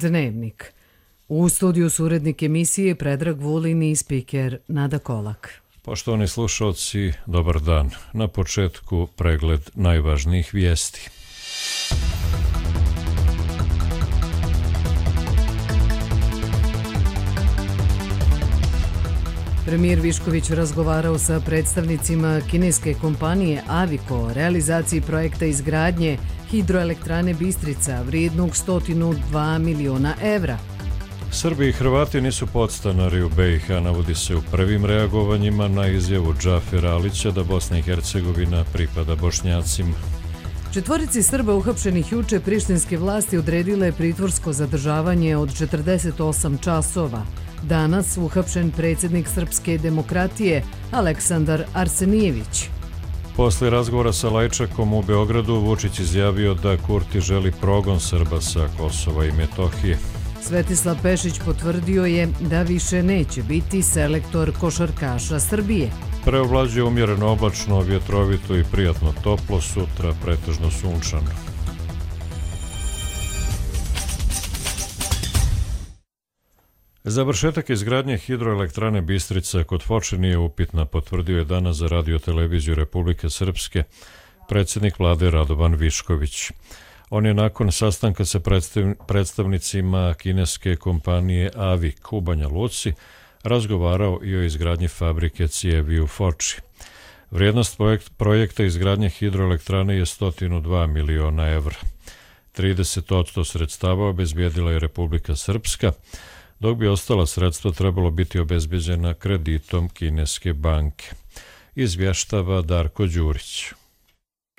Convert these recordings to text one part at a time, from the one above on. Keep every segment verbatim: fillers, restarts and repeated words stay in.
Dnevnik. U studiju su urednik emisije Predrag Vulin i spiker Nada Kolak. Poštovani slušalci, dobar dan. Na početku pregled najvažnijih vijesti. Premijer Višković razgovarao sa predstavnicima kineske kompanije Aviko o realizaciji projekta izgradnje hidroelektrane Bistrica vrijednog sto dva miliona evra. Srbi i Hrvati nisu podstanari u B i H, navodi se u prvim reagovanjima na izjavu Džafera Alića da Bosna i Hercegovina pripada Bošnjacima. Četvorici Srba uhapšenih juče prištinske vlasti odredile pritvorsko zadržavanje od četrdeset osam časova. Danas uhapšen predsjednik Srpske demokratije Aleksandar Arsenijević. Posle razgovora sa Lajčakom u Beogradu, Vučić izjavio da Kurti želi progon Srba sa Kosova i Metohije. Svetislav Pešić potvrdio je da više neće biti selektor košarkaša Srbije. Preovlađuje umjereno oblačno, vjetrovito i prijatno toplo, sutra pretežno sunčano. Završetak izgradnje hidroelektrane Bistrica kod Foče nije upitna, potvrdio je danas za Radio-televiziju Republike Srpske predsjednik vlade Radovan Višković. On je nakon sastanka sa predstavnicima kineske kompanije Avik u Banja Luci razgovarao i o izgradnji fabrike cijevi u Foči. Vrijednost projekta izgradnje hidroelektrane je sto dva miliona evra. trideset posto sredstava obezbijedila je Republika Srpska, dok bi ostala sredstva trebalo biti obezbeđena kreditom kineske banke. Izvještava Darko Đurić.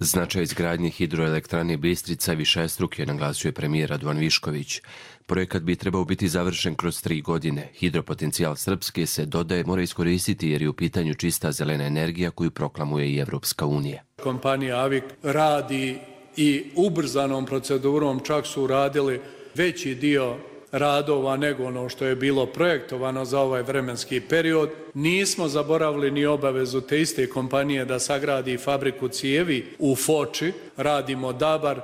Značaj izgradnje hidroelektrane Bistrica višestruk je, naglasio je premijer Radovan Višković. Projekat bi trebao biti završen kroz tri godine. Hidropotencijal Srpske, se dodaje, mora iskoristiti jer je u pitanju čista zelena energija koju proklamuje i Evropska unija. Kompanija Avik radi i ubrzanom procedurom, čak su uradili veći dio radova nego ono što je bilo projektovano za ovaj vremenski period. Nismo zaboravili ni obavezu te iste kompanije da sagradi fabriku cijevi u Foči. Radimo Dabar,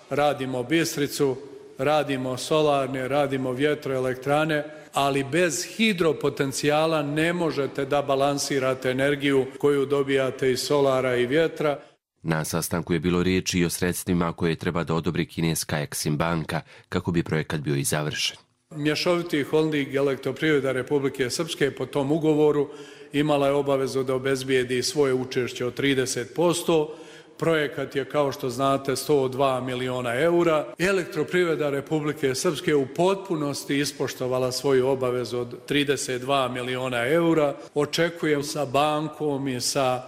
radimo Bistricu, radimo solarne, radimo vjetroelektrane, ali bez hidropotencijala ne možete da balansirate energiju koju dobijate iz solara i vjetra. Na sastanku je bilo riječi i o sredstvima koje treba da odobri kineska Eksim banka kako bi projekat bio i završen. Mješoviti holding Elektroprivreda Republike Srpske po tom ugovoru imala je obavezu da obezbijedi svoje učešće od trideset posto. Projekat je, kao što znate, sto dva miliona eura. Elektroprivreda Republike Srpske u potpunosti ispoštovala svoju obavezu od trideset dva miliona eura. Očekujem sa bankom i sa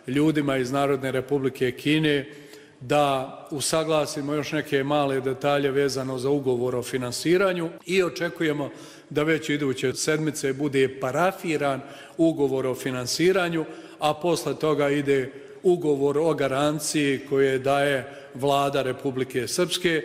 ljudima iz Narodne Republike Kine da usaglasimo još neke male detalje vezano za ugovor o finansiranju i očekujemo da već iduće sedmice bude parafiran ugovor o finansiranju, a posle toga ide ugovor o garanciji koje daje vlada Republike Srpske.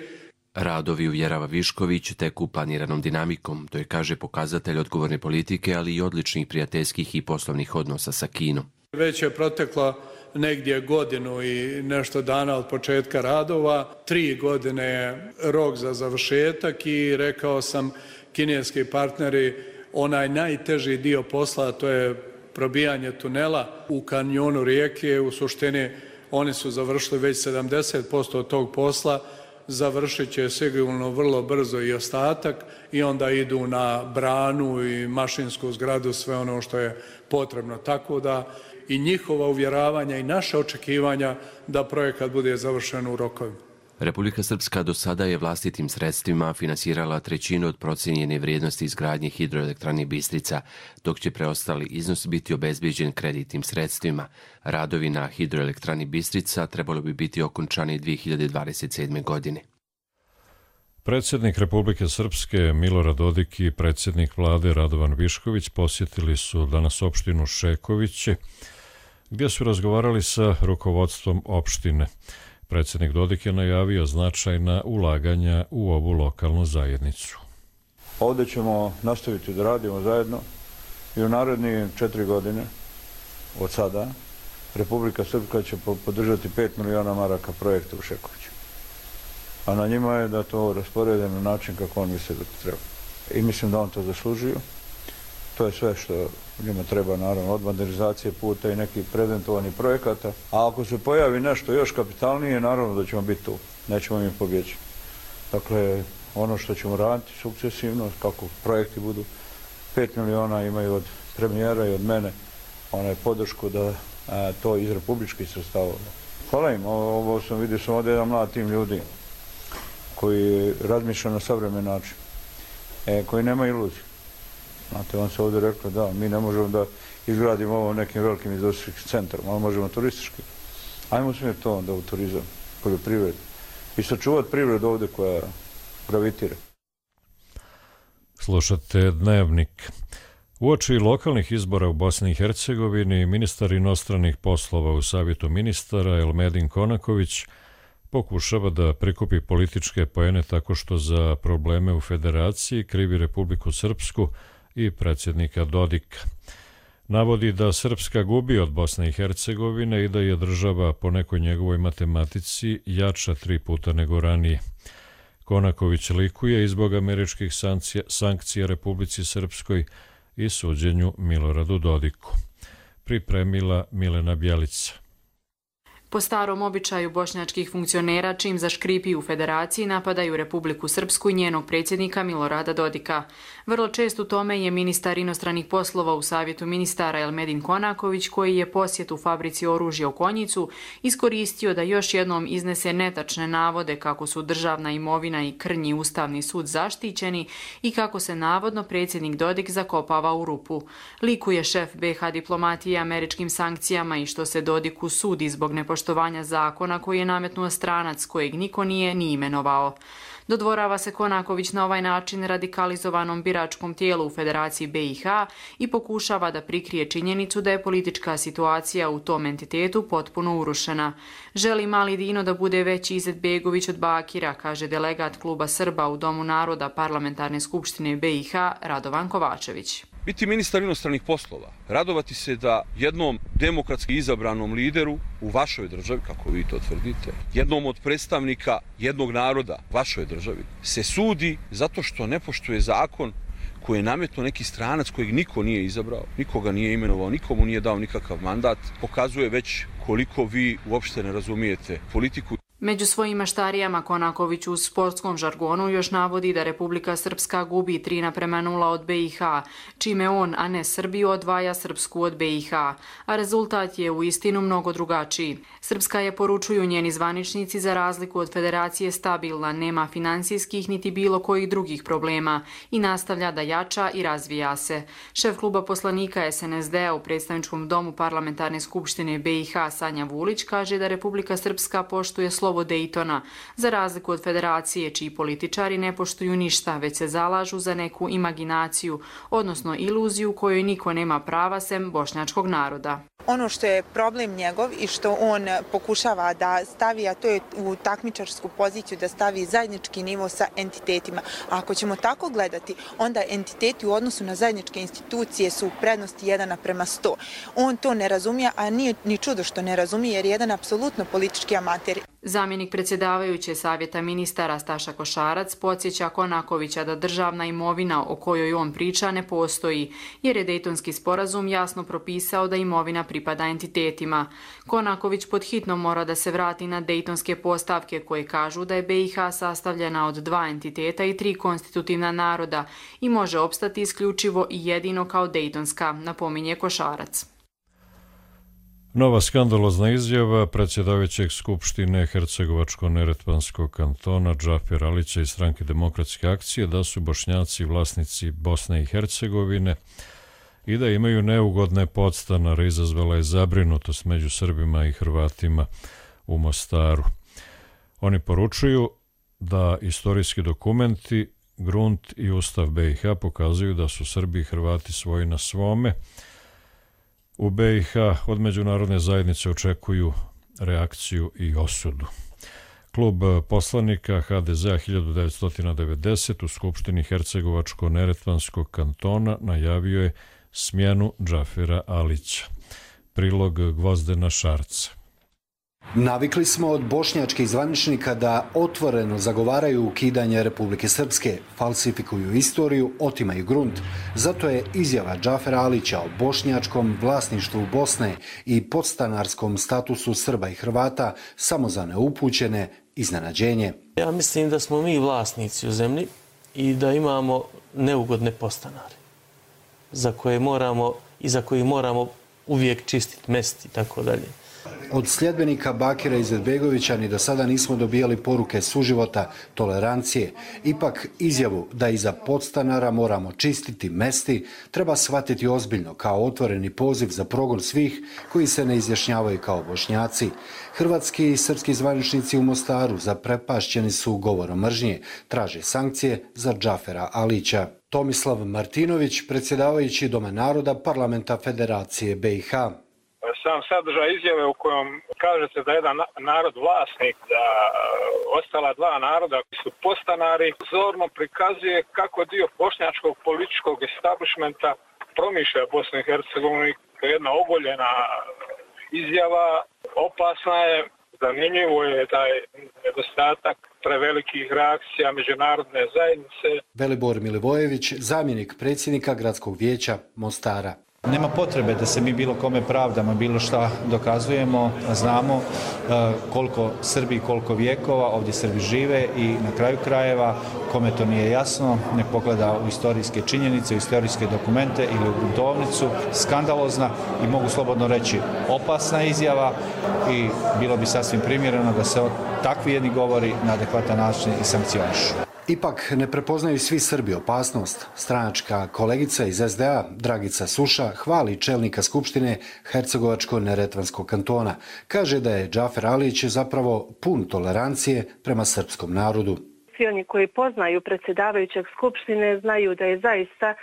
Radovi, uvjerava Višković, teku planiranom dinamikom. To je, kaže, pokazatelj odgovorne politike, ali i odličnih prijateljskih i poslovnih odnosa sa Kinom. Već je protekla negdje godinu i nešto dana od početka radova. Tri godine je rok za završetak i rekao sam kineski partneri, onaj najteži dio posla, to je probijanje tunela u kanjonu rijeke. U suštini oni su završili već sedamdeset posto tog posla, završit će sigurno vrlo brzo i ostatak i onda idu na branu i mašinsku zgradu, sve ono što je potrebno. Tako da i njihova uvjeravanja i naše očekivanja da projekat bude završen u rokovima. Republika Srpska do sada je vlastitim sredstvima finansirala trećinu od procijenjene vrijednosti izgradnje hidroelektrane Bistrica, dok će preostali iznos biti obezbijeđen kreditnim sredstvima. Radovi na hidroelektrani Bistrica trebalo bi biti okončani dvije hiljade dvadeset sedme. godine. Predsjednik Republike Srpske Milorad Dodik i predsjednik vlade Radovan Višković posjetili su danas opštinu Šekoviće, gdje su razgovarali sa rukovodstvom opštine. Predsjednik Dodik je najavio značajna ulaganja u ovu lokalnu zajednicu. Ovdje ćemo nastaviti da radimo zajedno i u narednih četiri godine od sada Republika Srpska će podržati pet miliona maraka projekta u Šekoviću. a na njima je da to rasporede na način kako on misli da to treba. I mislim da on to zaslužio. To je sve što njima treba, naravno, od modernizacije puta i nekih prezentovanih projekata. A ako se pojavi nešto još kapitalnije, naravno da ćemo biti tu. Nećemo im pobjeći. Dakle, ono što ćemo raditi sukcesivno, kako projekti budu, pet miliona imaju od premijera i od mene onaj podršku da a, to iz republičkih sredstava. Hvala im, ovo, ovo sam vidio, sam ovdje jedan mlad tim ljudi koji razmišlja na savremen način, e, koji nema iluziju. Znate, on se ovdje rekao da mi ne možemo da izgradimo ovo nekim velikim industrijskim centrom, ali možemo turistički. Ajmo smjeti to onda u turizam, poljoprivredu i sačuvati privredu ovdje koja gravitira. Slušate Dnevnik. Uoči lokalnih izbora u Bosni i Hercegovini, ministar inostranih poslova u Savjetu ministara Elmedin Konaković pokušava da prikupi političke poene tako što za probleme u federaciji krivi Republiku Srpsku i predsjednika Dodika. Navodi da Srpska gubi od Bosne i Hercegovine i da je država po nekoj njegovoj matematici jača tri puta nego ranije. Konaković likuje i zbog američkih sankcija, sankcija Republici Srpskoj i suđenju Miloradu Dodiku. Pripremila Milena Bjelica. Po starom običaju bošnjačkih funkcionera, čim zaškripi u federaciji, napadaju Republiku Srpsku i njenog predsjednika Milorada Dodika. Vrlo čest u tome je ministar inostranih poslova u Savjetu ministara Elmedin Konaković, koji je posjet u fabrici oružja u Konjicu iskoristio da još jednom iznese netačne navode kako su državna imovina i krnji ustavni sud zaštićeni i kako se navodno predsjednik Dodik zakopava u rupu. Likuje šef be ha diplomatije američkim sankcijama i što se Dodiku sudi zbog nepoštovanja poštovanja zakona koji je nametnuo stranac kojeg niko nije ni imenovao. Dodvorava se Konaković na ovaj način radikalizovanom biračkom tijelu u Federaciji be i ha i pokušava da prikrije činjenicu da je politička situacija u tom entitetu potpuno urušena. Želi Mali Dino da bude veći Izetbegović od Bakira, kaže delegat kluba Srba u Domu naroda Parlamentarne skupštine be i ha Radovan Kovačević. Biti ministar inostranih poslova, radovati se da jednom demokratski izabranom lideru u vašoj državi, kako vi to tvrdite, jednom od predstavnika jednog naroda u vašoj državi, se sudi zato što ne poštuje zakon koji je nametnuo neki stranac kojeg niko nije izabrao, nikoga nije imenovao, nikomu nije dao nikakav mandat, pokazuje već koliko vi uopšte ne razumijete politiku. Među svojim maštarijama Konaković u sportskom žargonu još navodi da Republika Srpska gubi tri naprema nula od be i ha, čime on, a ne Srbiju, odvaja Srpsku od be i ha, a rezultat je u istinu mnogo drugačiji. Srpska je, poručuju njeni zvaničnici, za razliku od federacije stabilna, nema finansijskih niti bilo kojih drugih problema i nastavlja da jača i razvija se. Šef kluba poslanika es en es de-a u predstavničkom domu Parlamentarne skupštine be i ha Sanja Vulić kaže da Republika Srpska poštuje slovo Dejtona, za razliku od federacije čiji političari ne poštuju ništa, već se zalažu za neku imaginaciju, odnosno iluziju kojoj niko nema prava sem bošnjačkog naroda. Ono što je problem njegov i što on pokušava da stavi, a to je u takmičarsku poziciju da stavi zajednički nivo sa entitetima. A ako ćemo tako gledati, onda entiteti u odnosu na zajedničke institucije su u prednosti jedan naprema sto. On to ne razumije, a nije ni čudo što ne razumije jer je jedan apsolutno politički amater. Zamjenik predsjedavajuće Savjeta ministara Staša Košarac podsjeća Konakovića da državna imovina o kojoj on priča ne postoji, jer je Dejtonski sporazum jasno propisao da imovina pripada entitetima. Konaković podhitno mora da se vrati na dejtonske postavke koje kažu da je be i ha sastavljena od dva entiteta i tri konstitutivna naroda i može opstati isključivo i jedino kao dejtonska, napominje Košarac. Nova skandalozna izjava predsjedavajućeg Skupštine Hercegovačko-Neretvanskog kantona Džafera Alića iz Stranke demokratske akcije da su Bošnjaci vlasnici Bosne i Hercegovine i da imaju neugodne podstanare izazvala je zabrinutost među Srbima i Hrvatima u Mostaru. Oni poručuju da istorijski dokumenti, grunt i ustav be i ha pokazuju da su Srbi i Hrvati svoji na svome. U be i ha od međunarodne zajednice očekuju reakciju i osudu. Klub poslanika ha de zea hiljadu devetsto devedeset u Skupštini Hercegovačko-Neretvanskog kantona najavio je smjenu Džafera Alića. Prilog Gvozdena Šarca. Navikli smo od bošnjačkih zvaničnika da otvoreno zagovaraju ukidanje Republike Srpske, falsifikuju istoriju, otimaju grunt. Zato je izjava Džafera Alića o bošnjačkom vlasništvu Bosne i podstanarskom statusu Srba i Hrvata samo za neupućene iznenađenje. Ja mislim da smo mi vlasnici u zemlji i da imamo neugodne podstanare za koje moramo i za koje moramo uvijek čistiti mesti i tako dalje. Od sljedbenika Bakira Izetbegovića ni do sada nismo dobijali poruke suživota, tolerancije. Ipak izjavu da iza podstanara moramo čistiti mesti treba shvatiti ozbiljno kao otvoreni poziv za progon svih koji se ne izjašnjavaju kao Bošnjaci. Hrvatski i srpski zvaničnici u Mostaru zaprepašćeni su govorom mržnje, traže sankcije za Džafera Alića. Tomislav Martinović, predsjedavajući Doma naroda Parlamenta Federacije B i H. Sam sadržaj izjave u kojom kažete da je jedan narod vlasnik, da ostala dva naroda koji su podstanari, zorno prikazuje kako dio bošnjačkog političkog establishmenta promišlja Bosnu i Hercegovinu. Jedna ogoljena izjava, opasna je, zanimljivo je taj nedostatak prevelikih reakcija međunarodne zajednice. Velibor Milivojević, zamjenik predsjednika Gradskog vijeća Mostara. Nema potrebe da se mi bilo kome pravdamo, bilo šta dokazujemo, znamo koliko Srbi, koliko vijekova ovdje Srbi žive i na kraju krajeva, kome to nije jasno, nek pogleda u istorijske činjenice, u istorijske dokumente ili u gruntovnicu. Skandalozna i mogu slobodno reći opasna izjava i bilo bi sasvim primjereno da se takvi jedni govori na adekvatan način i sankcionišu. Ipak ne prepoznaju svi Srbi opasnost. Stranačka kolegica iz S D A, Dragica Suša, hvali čelnika Skupštine Hercegovačko-neretvanskog kantona. Kaže da je Džafer Alić zapravo pun tolerancije prema srpskom narodu. Svi oni koji poznaju predsjedavajućeg Skupštine znaju da je zaista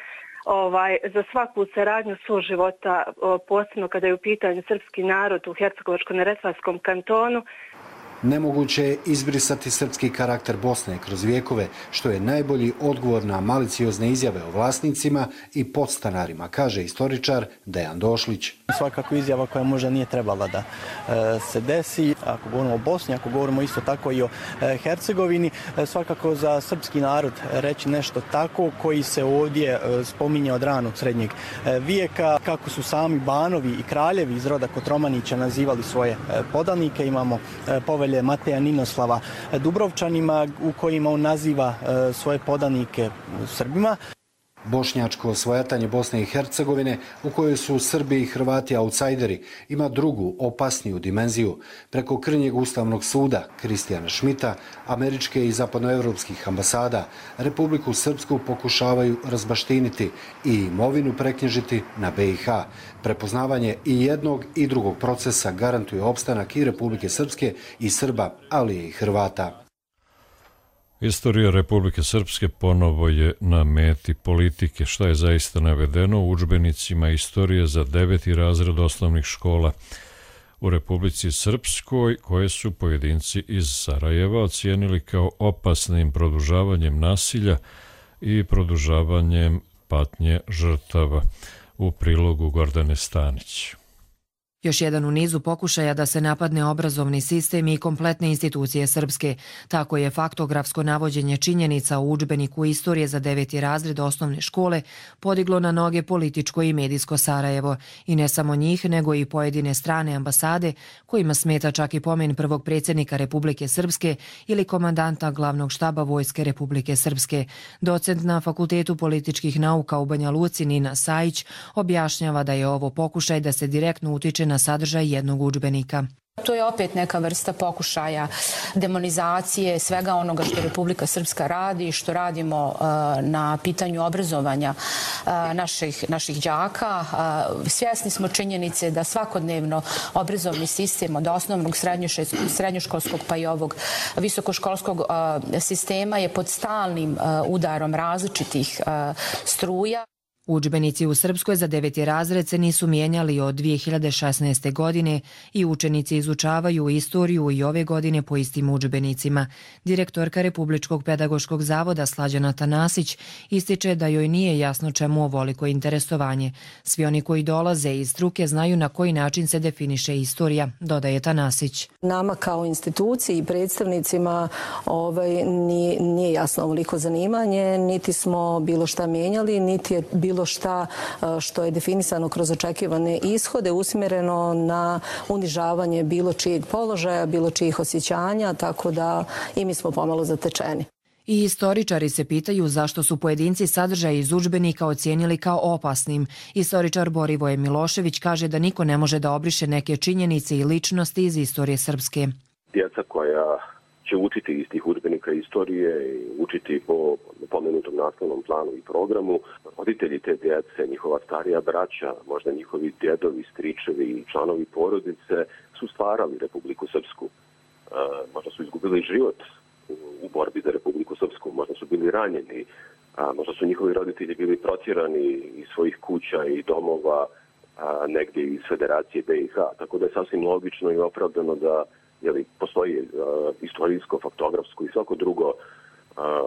ovaj, za svaku saradnju suživota, posebno kada je u pitanju srpski narod u Hercegovačko-neretvanskom kantonu. Nemoguće je izbrisati srpski karakter Bosne kroz vijekove, što je najbolji odgovor na maliciozne izjave o vlasnicima i podstanarima, kaže istoričar Dejan Došlić. Svakako izjava koja možda nije trebala da se desi. Ako govorimo o Bosni, ako govorimo isto tako i o Hercegovini, svakako za srpski narod reći nešto tako koji se ovdje spominje od ranog srednjeg vijeka, kako su sami banovi i kraljevi iz roda Kotromanića nazivali svoje podanike. Imamo povelje Mateja Ninoslava Dubrovčanima u kojima on naziva svoje podanike Srbima. Bošnjačko osvajatanje Bosne i Hercegovine, u kojoj su Srbi i Hrvati autsajderi, ima drugu, opasniju dimenziju. Preko krnjeg Ustavnog suda, Kristijana Šmita, američke i zapadnoevropskih ambasada, Republiku Srpsku pokušavaju razbaštiniti i imovinu preknjižiti na B i H. Prepoznavanje i jednog i drugog procesa garantuje opstanak i Republike Srpske i Srba, ali i Hrvata. Istorija Republike Srpske ponovo je na meti politike, šta je zaista navedeno u udžbenicima istorije za deveti razred osnovnih škola u Republici Srpskoj, koje su pojedinci iz Sarajeva ocijenili kao opasnim produžavanjem nasilja i produžavanjem patnje žrtava, u prilogu Gordane Stanić. Još jedan u nizu pokušaja da se napadne obrazovni sistem i kompletne institucije srpske. Tako je faktografsko navođenje činjenica u udžbeniku istorije za deveti razred osnovne škole podiglo na noge političko i medijsko Sarajevo. I ne samo njih, nego i pojedine strane ambasade, kojima smeta čak i pomen prvog predsjednika Republike Srpske ili komandanta glavnog štaba Vojske Republike Srpske. Docent na Fakultetu političkih nauka u Banja Luci Nina Sajić objašnjava da je ovo pokušaj da se direktno utiče na sadržaj jednog udžbenika. To je opet neka vrsta pokušaja demonizacije svega onoga što Republika Srpska radi, što radimo na pitanju obrazovanja naših, naših đaka. Svjesni smo činjenice da svakodnevno obrazovni sistem od osnovnog, srednjoškolskog pa i ovog visokoškolskog sistema je pod stalnim udarom različitih struja. Udžbenici u Srpskoj za deveti razred se nisu mijenjali od dvije hiljade šesnaeste. godine i učenici izučavaju istoriju i ove godine po istim udžbenicima. Direktorka Republičkog pedagoškog zavoda Slađana Tanasić ističe da joj nije jasno čemu ovoliko interesovanje. Svi oni koji dolaze iz struke znaju na koji način se definiše istorija, dodaje Tanasić. Nama kao instituciji i predstavnicima ovaj, nije, nije jasno ovoliko zanimanje, niti smo bilo šta mijenjali, niti je bilo šta što je definisano kroz očekivane ishode usmjereno na unižavanje bilo čijeg položaja, bilo čijih osjećanja, tako da i mi smo pomalo zatečeni. I istoričari se pitaju zašto su pojedinci sadržaj iz udžbenika ocijenili kao opasnim. Istoričar Borivoje Milošević kaže da niko ne može da obriše neke činjenice i ličnosti iz istorije Srpske. Djeca koja će učiti iz tih udžbenika istorije i učiti po pomenutom nastavnom planu i programu. Roditelji te djece, njihova starija braća, možda njihovi djedovi, stričevi i članovi porodice su stvarali Republiku Srpsku. E, možda su izgubili život u, u borbi za Republiku Srpsku, možda su bili ranjeni, a, možda su njihovi roditelji bili protjerani iz svojih kuća i domova a, negdje iz Federacije B i H. Tako da je sasvim logično i opravdano da jeli, postoji uh, istorijsko, faktografsko i svako drugo uh,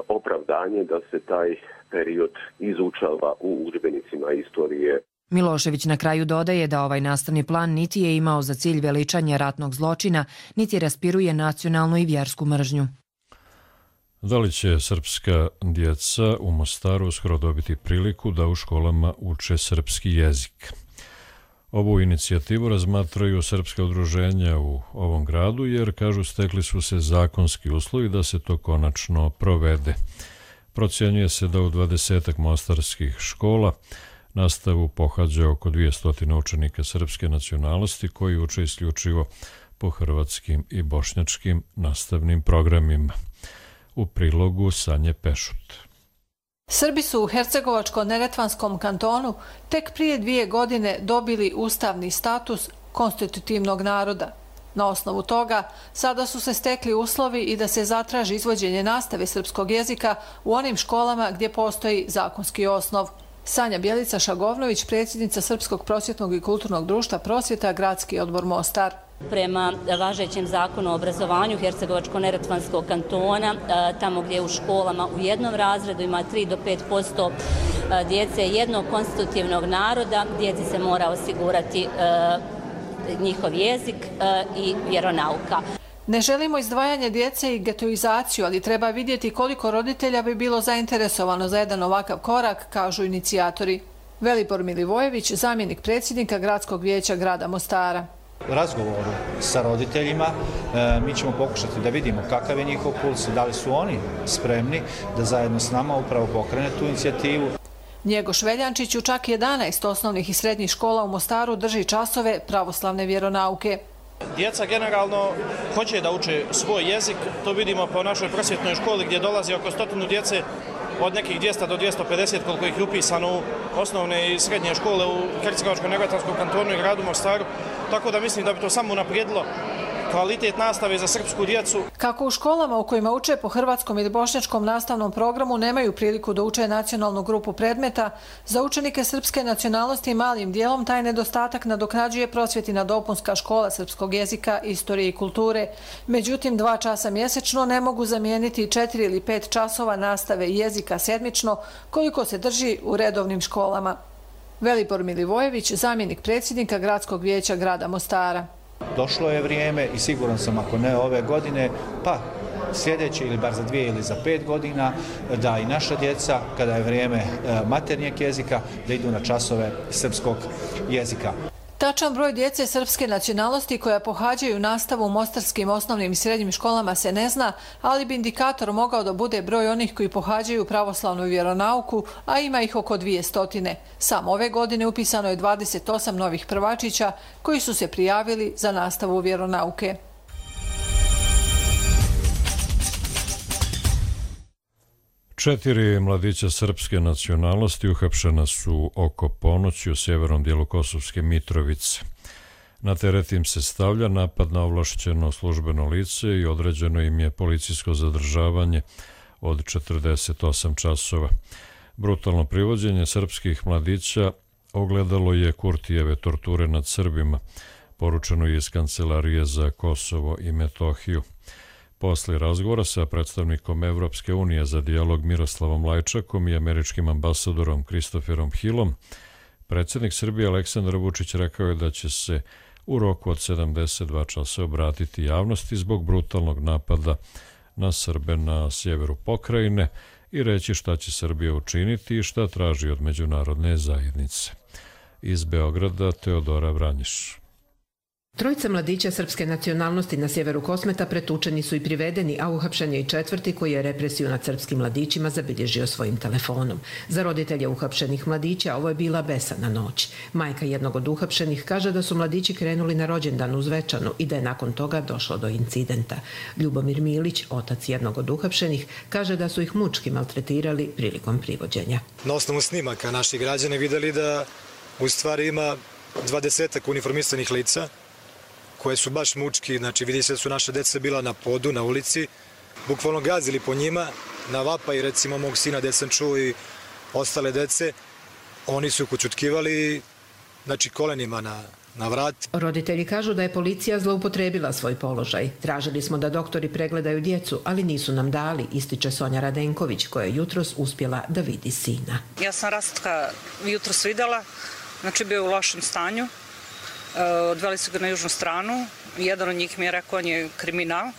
opravdanje da se taj period izučava u udžbenicima istorije. Milošević na kraju dodaje da ovaj nastavni plan niti je imao za cilj veličanje ratnog zločina, niti raspiruje nacionalnu i vjersku mržnju. Da li će srpska djeca u Mostaru uskoro dobiti priliku da u školama uče srpski jezik? Ovu inicijativu razmatraju srpska udruženja u ovom gradu jer, kažu, stekli su se zakonski uslovi da se to konačno provede. Procjenjuje se da u dvadesetak mostarskih škola nastavu pohađa oko dvjesto učenika srpske nacionalnosti koji uče isključivo po hrvatskim i bošnjačkim nastavnim programima. U prilogu Sanje Pešut. Srbi su u Hercegovačko-neretvanskom kantonu tek prije dvije godine dobili ustavni status konstitutivnog naroda. Na osnovu toga sada su se stekli uslovi i da se zatraži izvođenje nastave srpskog jezika u onim školama gdje postoji zakonski osnov. Sanja Bjelica-Šagovnović, predsjednica Srpskog prosvjetnog i kulturnog društva Prosvjeta, Gradski odbor Mostar. Prema važećem zakonu o obrazovanju Hercegovačko-neretvanskog kantona, tamo gdje u školama u jednom razredu ima tri do pet posto djece jednog konstitutivnog naroda, djeci se mora osigurati njihov jezik i vjeronauka. Ne želimo izdvajanje djece i getoizaciju, ali treba vidjeti koliko roditelja bi bilo zainteresovano za jedan ovakav korak, kažu inicijatori. Velibor Milivojević, zamjenik predsjednika Gradskog vijeća grada Mostara. Razgovoru sa roditeljima mi ćemo pokušati da vidimo kakav je njihov puls, da li su oni spremni da zajedno s nama upravo pokrene tu inicijativu. Njegoš Veljančić u čak jedanaest osnovnih i srednjih škola u Mostaru drži časove pravoslavne vjeronauke. Djeca generalno hoće da uče svoj jezik, to vidimo po našoj prosvjetnoj školi gdje dolazi oko stotinu djece od nekih dvjesto do dvjesto pedeset koliko ih je upisano u osnovne i srednje škole u Hercegovačko-neretvanskom kantonu i gradu Mostaru, tako da mislim da bi to samo unaprijedilo kvalitet nastave za srpsku djecu. Kako u školama u kojima uče po hrvatskom ili bošnjačkom nastavnom programu nemaju priliku da uče nacionalnu grupu predmeta, za učenike srpske nacionalnosti malim dijelom taj nedostatak nadoknađuje Prosvjetina dopunska škola srpskog jezika, istorije i kulture. Međutim, dva časa mjesečno ne mogu zamijeniti četiri ili pet časova nastave jezika sedmično koliko se drži u redovnim školama. Velibor Milivojević, zamjenik predsjednika Gradskog vijeća grada Mostara. Došlo je vrijeme i siguran sam ako ne ove godine, pa sljedeće ili bar za dvije ili za pet godina, da i naša djeca, kada je vrijeme maternjeg jezika, da idu na časove srpskog jezika. Tačan broj djece srpske nacionalnosti koja pohađaju nastavu u mostarskim osnovnim i srednjim školama se ne zna, ali bi indikator mogao da bude broj onih koji pohađaju pravoslavnu vjeronauku, a ima ih oko dvije stotine. Samo ove godine upisano je dvadeset osam novih prvačića koji su se prijavili za nastavu vjeronauke. Četiri mladića srpske nacionalnosti uhapšena su oko ponoći u sjevernom dijelu Kosovske Mitrovice. Na teret im se stavlja napad na ovlašćeno službeno lice i određeno im je policijsko zadržavanje od četrdeset osam časova. Brutalno privođenje srpskih mladića ogledalo je Kurtijeve torture nad Srbima, poručeno je iz Kancelarije za Kosovo i Metohiju. Posle razgovora sa predstavnikom Evropske unije za dijalog Miroslavom Lajčakom i američkim ambasadorom Kristoferom Hillom, predsjednik Srbije Aleksandar Vučić rekao je da će se u roku od sedamdeset dva časa obratiti javnosti zbog brutalnog napada na Srbe na sjeveru pokrajine i reći šta će Srbija učiniti i šta traži od međunarodne zajednice. Iz Beograda Teodora Vranjiš. Trojica mladića srpske nacionalnosti na sjeveru Kosmeta pretučeni su i privedeni, a uhapšen je i četvrti koji je represiju nad srpskim mladićima zabilježio svojim telefonom. Za roditelje uhapšenih mladića ovo je bila besana noć. Majka jednog od uhapšenih kaže da su mladići krenuli na rođendan u Zvečanu i da je nakon toga došlo do incidenta. Ljubomir Milić, otac jednog od uhapšenih, kaže da su ih mučki maltretirali prilikom privođenja. Na osnovu snimaka naši građani videli da u stvari ima dvadesetak uniformisanih lica koje su baš mučki, znači vidi se da su naše deca bila na podu, na ulici, bukvalno gazili po njima, na vapaj recimo mog sina gde sam čuo i ostale dece, oni su kućutkivali, znači kolenima na, na vrat. Roditelji kažu da je policija zloupotrebila svoj položaj. Tražili smo da doktori pregledaju djecu, ali nisu nam dali, ističe Sonja Radenković, koja je jutros uspjela da vidi sina. Ja sam Rastka jutros videla, znači bio u lošem stanju. Odveli su ga na južnu stranu. Jedan od njih mi je rekao on je kriminal,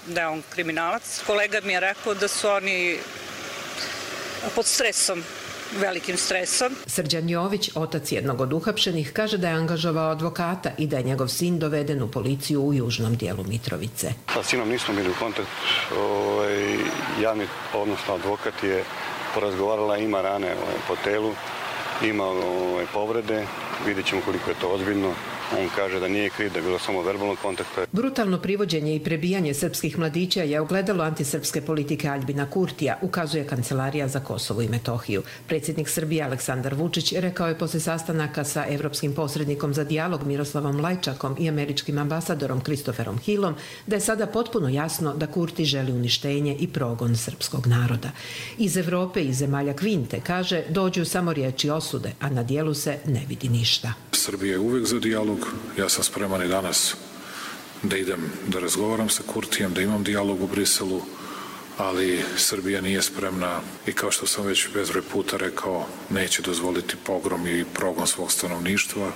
da je on kriminalac. Kolega mi je rekao da su oni pod stresom, velikim stresom. Srđan Jović, otac jednog od uhapšenih, kaže da je angažovao advokata i da je njegov sin doveden u policiju u južnom dijelu Mitrovice. Sa sinom nismo bili u kontaktu. Ovaj, javni, odnosno advokat je porazgovarala, ima rane ovaj, po telu, ima ovaj, povrede, vidjet ćemo koliko je to ozbiljno. On kaže da nije kriv, da je bilo samo verbalnog kontakta. Brutalno privođenje i prebijanje srpskih mladića je ogledalo antisrpske politike Aljbina Kurtija, ukazuje Kancelarija za Kosovo i Metohiju. Predsjednik Srbije Aleksandar Vučić rekao je posle sastanaka sa evropskim posrednikom za dijalog Miroslavom Lajčakom i američkim ambasadorom Kristoferom Hillom da je sada potpuno jasno da Kurti želi uništenje i progon srpskog naroda. Iz Evrope i zemalja Kvinte, kaže, dođu samo riječi osude, a na dijelu se ne vidi ništa. Srbija je uvek za dijalog. Ja sam spreman i danas da idem da razgovaram sa Kurtijem, da imam dijalog u Briselu, ali Srbija nije spremna i kao što sam već bezbroj puta rekao, neće dozvoliti pogrom i progon svog stanovništva,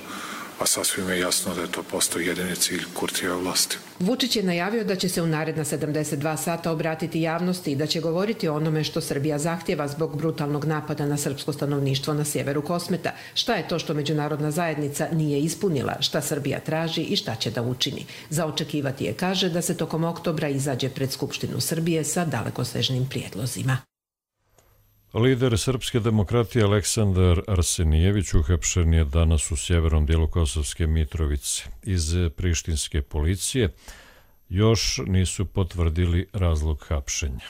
a sasvim je jasno da je to postao jedini cilj Kurtijeve vlasti. Vučić je najavio da će se u naredna sedamdeset dva sata obratiti javnosti i da će govoriti o onome što Srbija zahtjeva zbog brutalnog napada na srpsko stanovništvo na sjeveru Kosmeta. Šta je to što međunarodna zajednica nije ispunila, šta Srbija traži i šta će da učini. Za očekivati je, kaže, da se tokom oktobra izađe pred Skupštinu Srbije sa dalekosežnim prijedlozima. Lider srpske demokratije Aleksandar Arsenijević uhapšen je danas u sjevernom dijelu Kosovske Mitrovice. Iz prištinske policije još nisu potvrdili razlog hapšenja.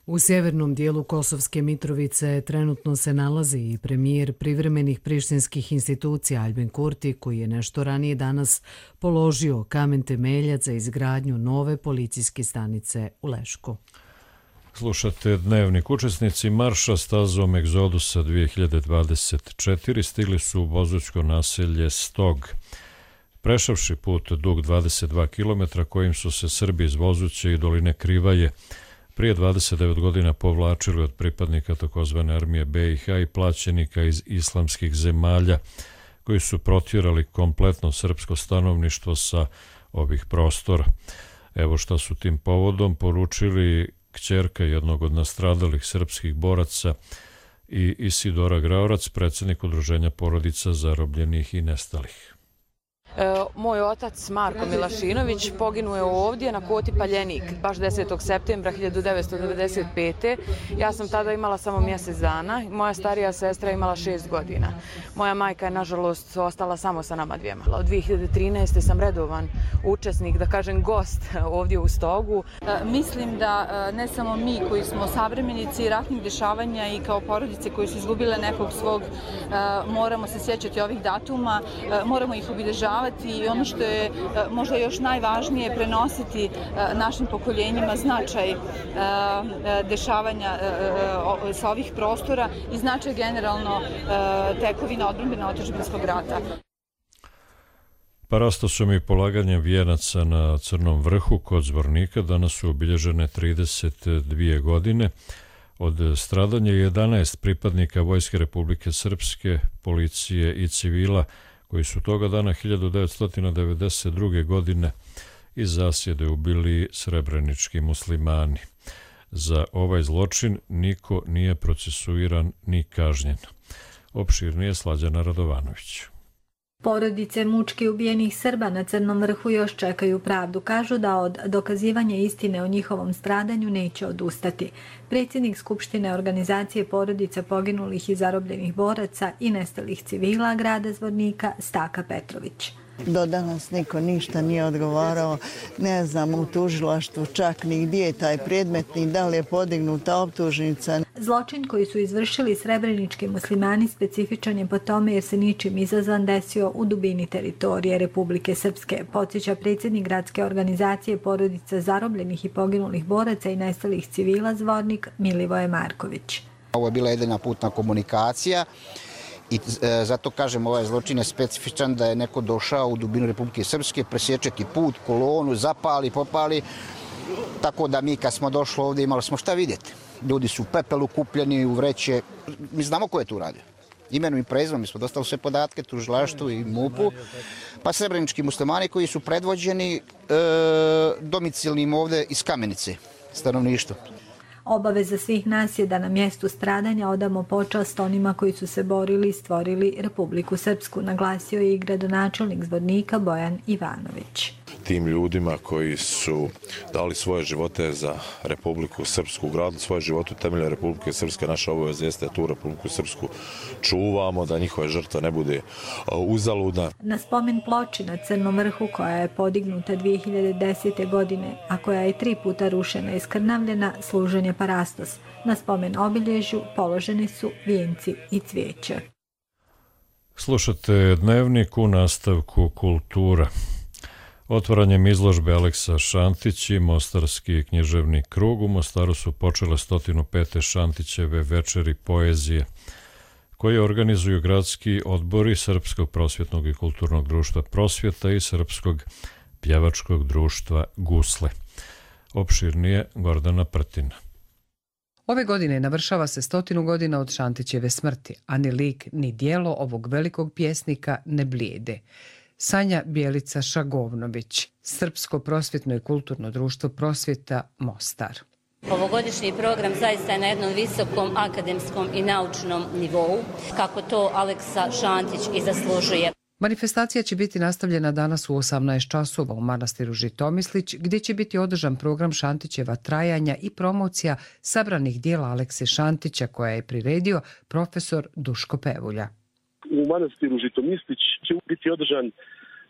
U sjevernom dijelu Kosovske Mitrovice trenutno se nalazi i premijer privremenih prištinskih institucija Aljbin Kurti, koji je nešto ranije danas položio kamen temeljac za izgradnju nove policijske stanice u Lešku. Slušate Dnevnik. Učesnici marša stazom Egzodusa dvije hiljade dvadeset četiri stigli su u Bozućko naselje Stog. Prešavši put dug dvadeset dva kilometra kojim su se Srbi iz Vozuće i doline Krivaje prije dvadeset devet godina povlačili od pripadnika takozvane armije be i ha i plaćenika iz islamskih zemalja koji su protjerali kompletno srpsko stanovništvo sa ovih prostora. Evo šta su tim povodom poručili kćerka jednog od nastradalih srpskih boraca i Isidora Graorac, predsjednik Udruženja porodica zarobljenih i nestalih. Moj otac Marko Milašinović poginuo je ovdje na Koti Paljenik, baš desetog septembra hiljadu devetsto devedeset pete. Ja sam tada imala samo mjesec dana, moja starija sestra imala šest godina. Moja majka je, nažalost, ostala samo sa nama dvijema. Od dvije hiljade trinaeste sam redovan učesnik, da kažem gost, ovdje u Stogu. Mislim da ne samo mi koji smo savremenici ratnih dešavanja i kao porodice koji su izgubile nekog svog, moramo se sjećati ovih datuma, moramo ih obilježavati upoznavati i ono što je možda još najvažnije, prenositi našim pokoljenjima značaj dešavanja sa ovih prostora i značaj generalno tekovina odbrambeno otadžbinskog rata. Parastosom i polaganjem vijenaca na Crnom vrhu kod Zvornika danas su obilježene trideset dvije godine od stradanja jedanaest pripadnika Vojske Republike Srpske, policije i civila koji su toga dana hiljadu devetsto devedeset druge. godine iz zasjede ubili srebrenički muslimani. Za ovaj zločin niko nije procesuiran ni kažnjen. Opširnije Slađana Radovanović. Porodice mučki ubijenih Srba na Crnom vrhu još čekaju pravdu. Kažu da od dokazivanja istine o njihovom stradanju neće odustati. Predsjednik Skupštine organizacije porodica poginulih i zarobljenih boraca i nestalih civila grada Zvornika Staka Petrović. Do danas niko ništa nije odgovarao, ne znam u tužilaštvu čak ni gdje je taj predmet, ni da li je podignuta optužnica. Zločin koji su izvršili srebrenički muslimani specifičan je po tome jer se ničim izazvan desio u dubini teritorije Republike Srpske, podsjeća predsjednik gradske organizacije porodica zarobljenih i poginulih boraca i nestalih civila Zvornik Milivoje Marković. Ovo je bila jedina putna komunikacija. I zato kažem, ovaj zločin je specifičan da je neko došao u dubinu Republike Srpske, presječeti put, kolonu, zapali, popali, tako da mi kad smo došli ovdje imali smo šta vidjeti. Ljudi su u pepelu kupljeni, u vreće, mi znamo ko je tu radio. Imenom i prezimenom, mi smo dostali sve podatke, tužilaštvu i mupu, pa srebrenički muslimani koji su predvođeni e, domicilnim ovdje iz Kamenice, stanovništvo. Obaveza svih nas je da na mjestu stradanja odamo počast onima koji su se borili i stvorili Republiku Srpsku, naglasio je i gradonačelnik Zvornika Bojan Ivanović. Tim ljudima koji su dali svoje živote za Republiku Srpsku, gradili svoje živote u temelju Republike Srpske, naša obaveza jeste da tu Republiku Srpsku čuvamo, da njihova žrtva ne bude uzaludna. Na spomen ploči na Crnom vrhu, koja je podignuta dvije hiljade desete. godine, a koja je tri puta rušena i skrnavljena, služen je parastos. Na spomen obilježju položeni su vijenci i cvijeće. Slušate Dnevnik u nastavku Kultura. Otvaranjem izložbe Aleksa Šantić i Mostarski književni krug u Mostaru su počele sto pete Šantićeve večeri poezije, koje organizuju gradski odbori Srpskog prosvjetnog i kulturnog društva Prosvjeta i Srpskog pjevačkog društva Gusle. Opširnije Gordana Prtina. Ove godine navršava se stotinu godina od Šantićeve smrti, a ni lik ni dijelo ovog velikog pjesnika ne blijede. Sanja Bjelica Šagovnović, Srpsko prosvjetno i kulturno društvo Prosvjeta, Mostar. Ovogodišnji program zaista je na jednom visokom akademskom i naučnom nivou, kako to Aleksa Šantić i zaslužuje. Manifestacija će biti nastavljena danas u osamnaest časova u manastiru Žitomislić, gdje će biti održan program Šantićeva trajanja i promocija sabranih dijela Alekse Šantića, koja je priredio profesor Duško Pevulja. U manastiru Žitomislić će biti održan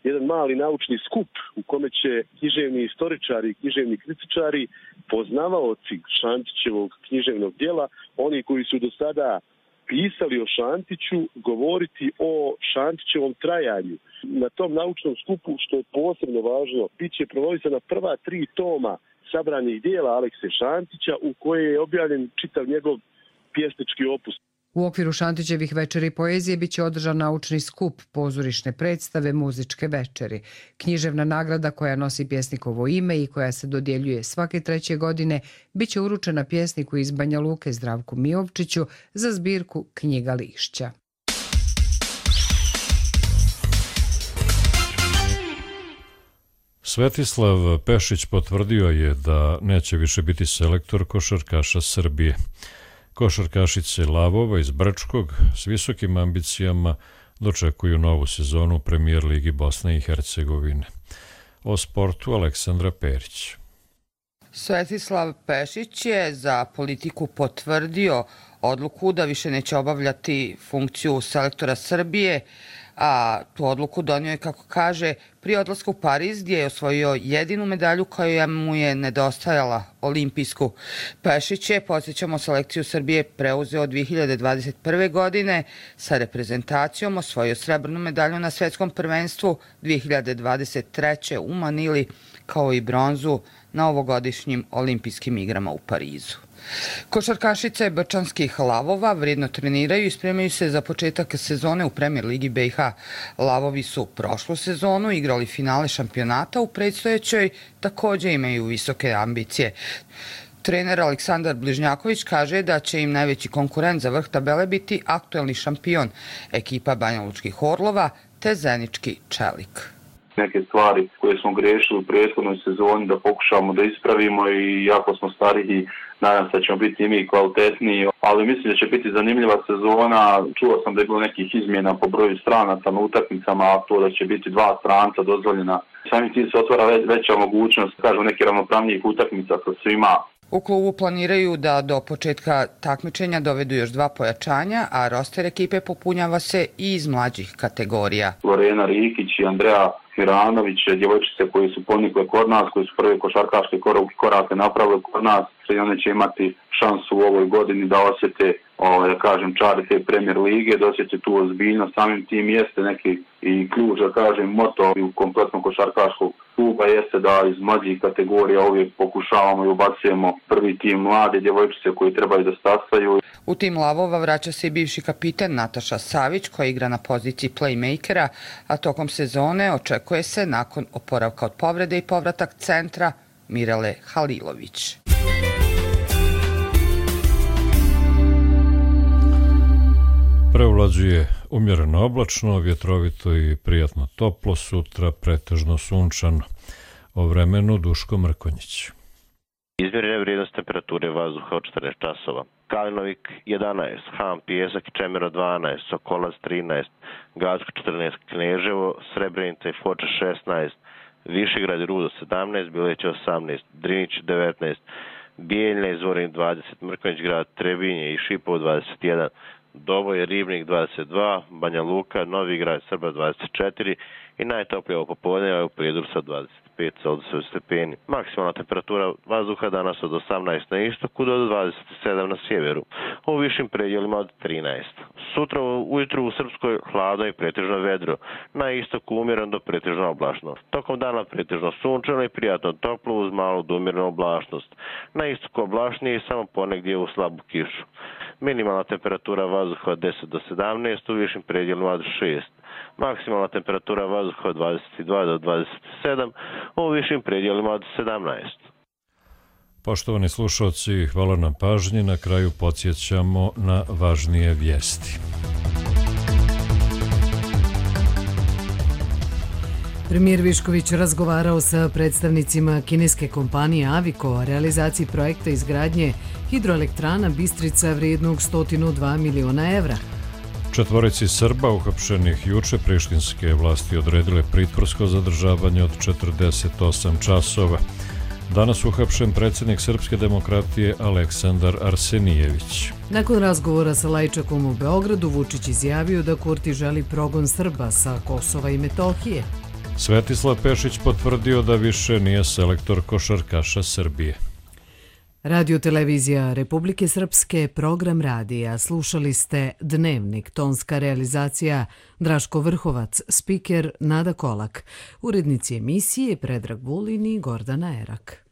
jedan mali naučni skup u kome će književni istoričari i književni kritičari, poznavaoci Šantićevog književnog djela, oni koji su do sada pisali o Šantiću, govoriti o Šantićevom trajanju. Na tom naučnom skupu, što je posebno važno, bit će promovisana prva tri toma sabranih dijela Alekse Šantića, u koje je objavljen čitav njegov pjesnički opus. U okviru Šantićevih večeri poezije biće održan naučni skup, pozorišne predstave, muzičke večeri. Književna nagrada koja nosi pjesnikovo ime i koja se dodjeljuje svake treće godine biće uručena pjesniku iz Banja Luke Zdravku Mijovčiću za zbirku Knjiga lišća. Svetislav Pešić potvrdio je da neće više biti selektor košarkaša Srbije. Košarkašice Lavova iz Brčkog s visokim ambicijama dočekuju novu sezonu u Premijer ligi Bosne i Hercegovine. O sportu Aleksandra Perić. Svetislav Pešić je za Politiku potvrdio odluku da više neće obavljati funkciju selektora Srbije, A tu odluku donio je, kako kaže, pri odlasku u Pariz, gdje je osvojio jedinu medalju koja mu je nedostajala, olimpijsku. Pešić je, podsjećamo, selekciju Srbije preuzeo dvije hiljade dvadeset prve. godine, sa reprezentacijom osvojio srebrnu medalju na svetskom prvenstvu dvije hiljade dvadeset treće. u Manili, kao i bronzu na ovogodišnjim olimpijskim igrama u Parizu. Košarkašice brčanskih Lavova vredno treniraju i spremaju se za početak sezone u Premier ligi B i H. Lavovi su prošlu sezonu igrali finale šampionata, u predstojećoj također imaju visoke ambicije. Trener Aleksandar Bližnjaković kaže da će im najveći konkurent za vrh tabele biti aktuelni šampion, ekipa Banjalučkih Orlova te Zenički Čelik. Neke stvari koje smo grešili u prethodnoj sezoni da pokušamo da ispravimo i jako smo stariji, nadam se da ćemo biti i mi kvalitetniji, ali mislim da će biti zanimljiva sezona. Čuo sam da je bilo nekih izmjena po broju stranaca na utakmicama, a to da će biti dva stranca dozvoljena. Samim tim se otvara veća mogućnost, kažem, nekih ravnopravnijih utakmica sa svima. U klubu planiraju da do početka takmičenja dovedu još dva pojačanja, a roster ekipe popunjava se i iz mlađih kategorija. Lorena Rikić i Andreja Miranović, djevojčice koji su ponikle kod nas, koji su prve košarkaške korake napravile kod nas, i one će imati šansu u ovoj godini da osjete, da kažem, čari te Premier lige, da osjete tu ozbiljnost. Samim tim jeste neki i ključ, da kažem, moto u kompletnom košarkaškog kluba jeste da iz mlađih kategorija uvijek pokušavamo i ubacujemo prvi tim mlade djevojčice koji trebaju da stasaju. U tim Lavova vraća se i bivši kapiten Nataša Savić, koja igra na poziciji playmakera, a tokom sezone očekuje se, nakon oporavka od povrede i povratak centra, Mirele Halilović. Prevlađuje umjereno oblačno, vjetrovito i prijatno toplo, sutra pretežno sunčano. O vremenu Duško Mrkonjić. Izmjerene vrijednost temperature vazduha od četrnaest časova. Kalinovik jedanaest, Ham, Pijesak i Čemero dvanaest, Sokolac trinaest, Gacko četrnaest, Kneževo, Srebrenica i Foča šesnaest, Višegrad i Rudo sedamnaest, Bileće osamnaest, Drinić devetnaest, Bijeljna i Zvorin dvadeset, Mrkonjić grad, Trebinje i Šipovo dvadeset jedan, Doboj, Ribnik dvadeset dva, Banja Luka, Novi grad, Srba dvadeset četiri i najtoplije ovo popodne je u Prijedoru sa dvadeset pet stepeni. Maksimalna temperatura vazduha danas od osamnaest na istoku do dvadeset sedam na sjeveru, u višim predjelima od trinaest. Sutra ujutru u Srpskoj hladno i pretežno vedro, na istoku umjereno do pretežno oblačno. Tokom dana pretežno sunčano i prijatno toplo uz malu do umjerenu oblačnost. Na istoku oblačnije i samo ponegdje u slabu kišu. Minimalna temperatura vazduha od deset do sedamnaest, u višim predjelima od šest. Maksimalna temperatura vazduha od dvadeset dva do dvadeset sedam, u višim predjelima od sedamnaest. Poštovani slušalci, hvala na pažnji. Na kraju podsjećamo na važnije vijesti. Premijer Višković razgovarao sa predstavnicima kineske kompanije Aviko o realizaciji projekta izgradnje hidroelektrana Bistrica vrijednog sto dva miliona evra. Četvorici Srba uhapšenih juče prištinske vlasti odredile pritvorsko zadržavanje od četrdeset osam časova. Danas uhapšen predsjednik Srpske demokratije Aleksandar Arsenijević. Nakon razgovora sa Lajčakom u Beogradu, Vučić izjavio da Kurti želi progon Srba sa Kosova i Metohije. Svetislav Pešić potvrdio da više nije selektor košarkaša Srbije. Radio televizija Republike Srpske, program radija. Slušali ste Dnevnik, tonska realizacija Draško Vrhovac, spiker Nada Kolak, urednici emisije Predrag Vulin i Gordana Erak.